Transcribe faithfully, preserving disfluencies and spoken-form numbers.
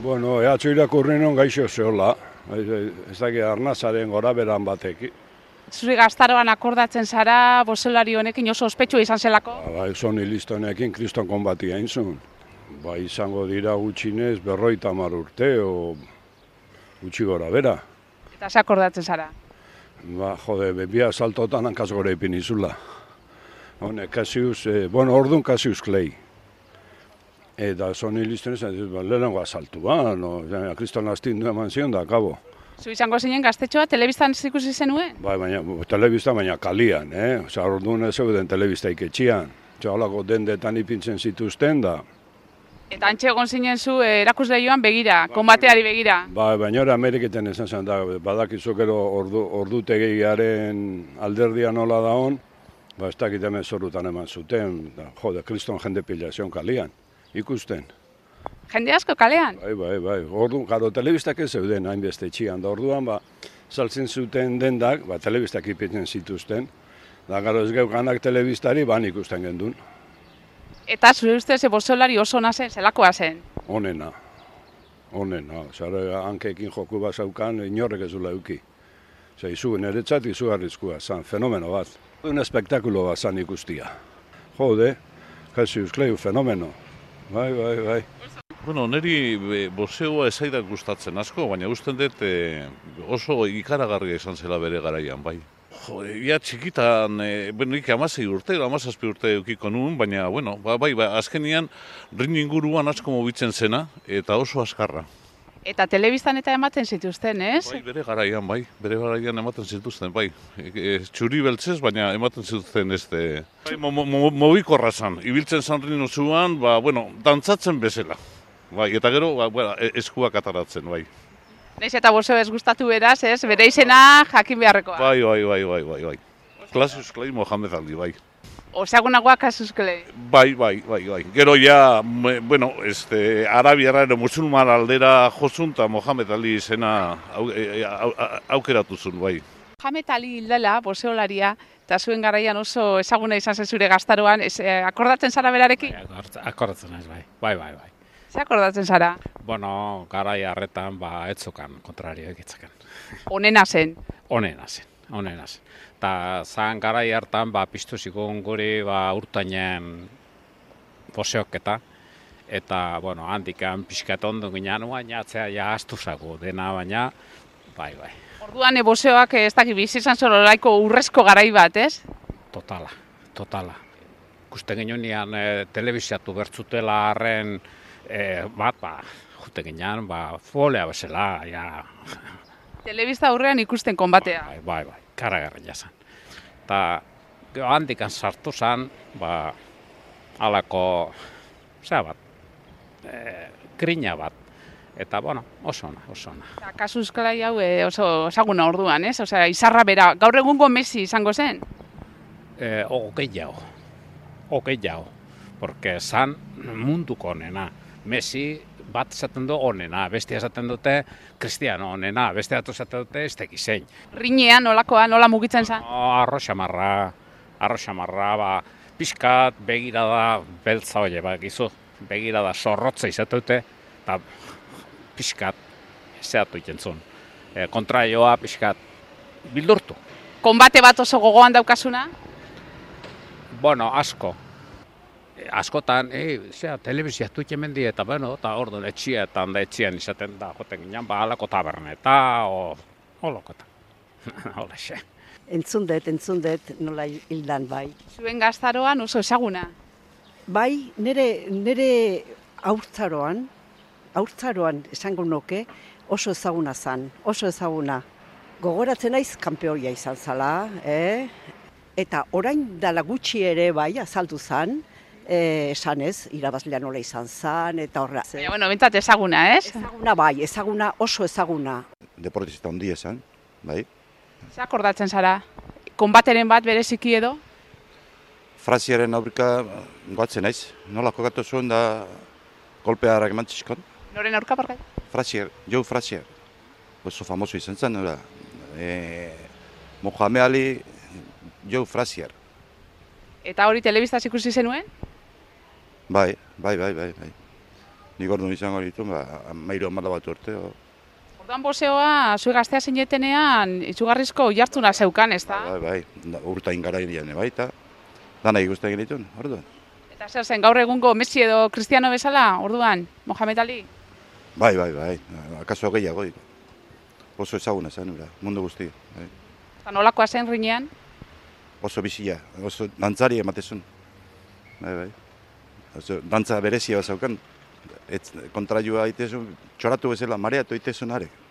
Bueno, ehatxo irakurri non gaixo zehola, ez dakit arnazaren gora beran batek. Zuri gaztaroan akordatzen zara, bozelari honekin oso ospetsua izan zelako? Ba, ba Sony Listonekin kriston konbatia inzun. Ba, izango dira gutxinez berroita hamar urte, o gutxi gora bera. Eta ze akordatzen zara? Ba, jode, bebia saltotan hankaz gora ipin izula. Hone, Cassius, eh, bueno, orduan Cassius Clay. Eta Sony Listonen zan, ba, lehenengo asaltu, ba, no, kriston astindu eman zion da, kabo. Zu izango zinen gaztetxoa, telebistan ikusi zenuen? Bai, baina, telebista baina kalian, eh? Osa, orduan ez zeuden telebista iketxian. Osa, holako dendetan ipintzen zituzten da. Eta antxe egon zinen zu eh, erakusleioan begira, konbateari begira. Bai, baina hori Ameriketan esan zen da, badakizu gero ordu, ordutegiaren alderdia nola da hon, ba, ez dakit hemen zorutan eman zuten, da, jode, kriston jende pilazion kalian, ikusten. Jende asko kalean? Bai, bai, bai. Orduan, garo, telebistak ez zeuden hainbeste txian, da orduan, ba, saltzen zuten dendak, ba, telebistak ipitzen zituzten, da garo ez geukanak telebistari, ban ikusten gendun. Eta zure ustez bozelari oso ona zen, zelakoa zen? Onena, onena. Zara, hankeekin joku bat zaukan, inorrek ez dula euki. Zer, izu, niretzat izugarrizkoa zan, fenomeno bat. Un espektakulo bat zan ikustia. Jode, Cassius Clay, fenomeno. Bai, bai, bai. Bueno, niri boxeoa ezaidak gustatzen asko, baina usten dut e, oso ikaragarria izan zela bere garaian, bai. Jo, ia txikitan, e, bueno, nik amasei urte, amazazpi urte eukiko nuen, baina, bueno, ba, bai, ba, azkenian ring inguruan asko mobitzen zena, eta oso askarra. Eta telebistan eta ematen zituzten, ez? Bai, bere garaian, bai, bere garaian ematen zituzten, bai. E, e, txuri beltzez, baina ematen zituzten ez de... Bai, mo, mo, mo, mobikorra zan, ibiltzen zan ring zuan, ba, bueno, dantzatzen bezala. Bai, eta gero, ba, bueno, eskuak ataratzen, bai. Naiz eta bozeo ez gustatu beraz, ez? Bere izena jakin beharrekoa. Bai, bai, bai, bai, bai, bai. Cassius Clay Mohamed Ali, bai. Osagunagoa Cassius Clay. Bai, bai, bai, bai. Gero ja, me, bueno, este, arabiara ero musulman aldera josun eta Mohamed Ali izena au, au, au, aukeratu zuen, bai. Mohamed Ali hildela, bozeolaria, eta zuen garaian oso ezaguna izan zen zure gaztaroan, ez, eh, akordatzen zara berarekin? Bai, akordatzen ez, bai, bai, bai, bai. Ze akordatzen zara? Bueno, garai harretan, ba, etzokan, kontrario egitzaken. Onena zen? Onena zen, onena zen. Ta zan garai hartan, ba, piztu zikun guri, ba, urtainen boseoketa. Eta, bueno, handikan pixkat ondo ginen, baina atzea ja astu zago dena, baina, bai, bai. Orduan, boseoak ez dakit bizi izan zorolaiko urrezko garai bat, ez? Totala, totala. Ikusten ginean e, telebiziatu bertzutela harren, E, bat, ba, jute ginean, ba, folea bezala, ja. Telebista aurrean ikusten konbatea. Bai, bai, bai, karagarria zen. Eta, handikan sartu zen, ba, alako, zera bat, e, grina bat. Eta, bueno, oso ona, oso ona. Eta, Cassius Clay hau e, oso esaguna orduan, ez? Osea, izarra bera, gaur egungo Messi izango zen? E, Ogei jau, ogei jau, porque zan munduko onena. Messi bat esaten du onena, bestia esaten dute Cristiano onena, bestia esaten dute ez tekizein. Rinean, nolakoa, nola mugitzen zen? No, arro xamarra, arro xamarra, ba, pixkat begirada beltza hori, ba, gizu, begirada zorrotza izate dute, eta pixkat zeatu ikentzun. E, kontraioa pixkat bildurtu. Konbate bat oso gogoan daukasuna? Bueno, asko. Askotan, e, zera, telebiziatu ikemendi eta, bueno, eta orduan etxietan da etxian izaten da, joten ginen, ba, alako taberneta, o, holokota. Hola, xe. Entzundet, entzundet, nola hildan bai. Zuen gaztaroan oso ezaguna? Bai, nire, nire haurtzaroan, haurtzaroan esango nuke, oso ezaguna zan, oso ezaguna. Gogoratzen naiz kanpeoia izan zala, eh? Eta orain dala gutxi ere bai, azaldu zan, Eh, esan ez, irabazlea nola izan zan, eta horra. Baina, bueno, bentsat ezaguna, ez? Ezaguna bai, ezaguna, oso ezaguna. Deportista handia esan, bai. Ze akordatzen zara? Konbateren bat bereziki edo? Fraziaren aurrika goatzen naiz, nola kokatu zuen da kolpearak eman txizkon. Noren aurka parkai? Frazier, Joe Frazier, oso famoso izan zen, nola. E, Mohamed Ali, Joe Frazier. Eta hori telebistaz ikusi zenuen? Bai, bai, bai, bai, bai. nik orduan izango ditu, ba, mairu amala bat urte. O. Orduan boxeoa, zue gaztea zinetenean, itzugarrizko jartzuna zeukan, ez da? Bai, bai, da, urtain garaian bai, eta dana ikusten egiten, orduan. Eta zer zen, gaur egungo Messi edo Cristiano bezala, orduan, Mohamed Ali? Bai, bai, bai, akaso gehiago. Oso ezaguna zen, ura, mundu guztia. Bai. Eta nolakoa zen rinean? Oso bizia, oso dantzari ematezun. Bai, bai. Oso, dantza berezia bat zaukan, kontraioa itezun, txoratu bezala, mareatu itezun arek.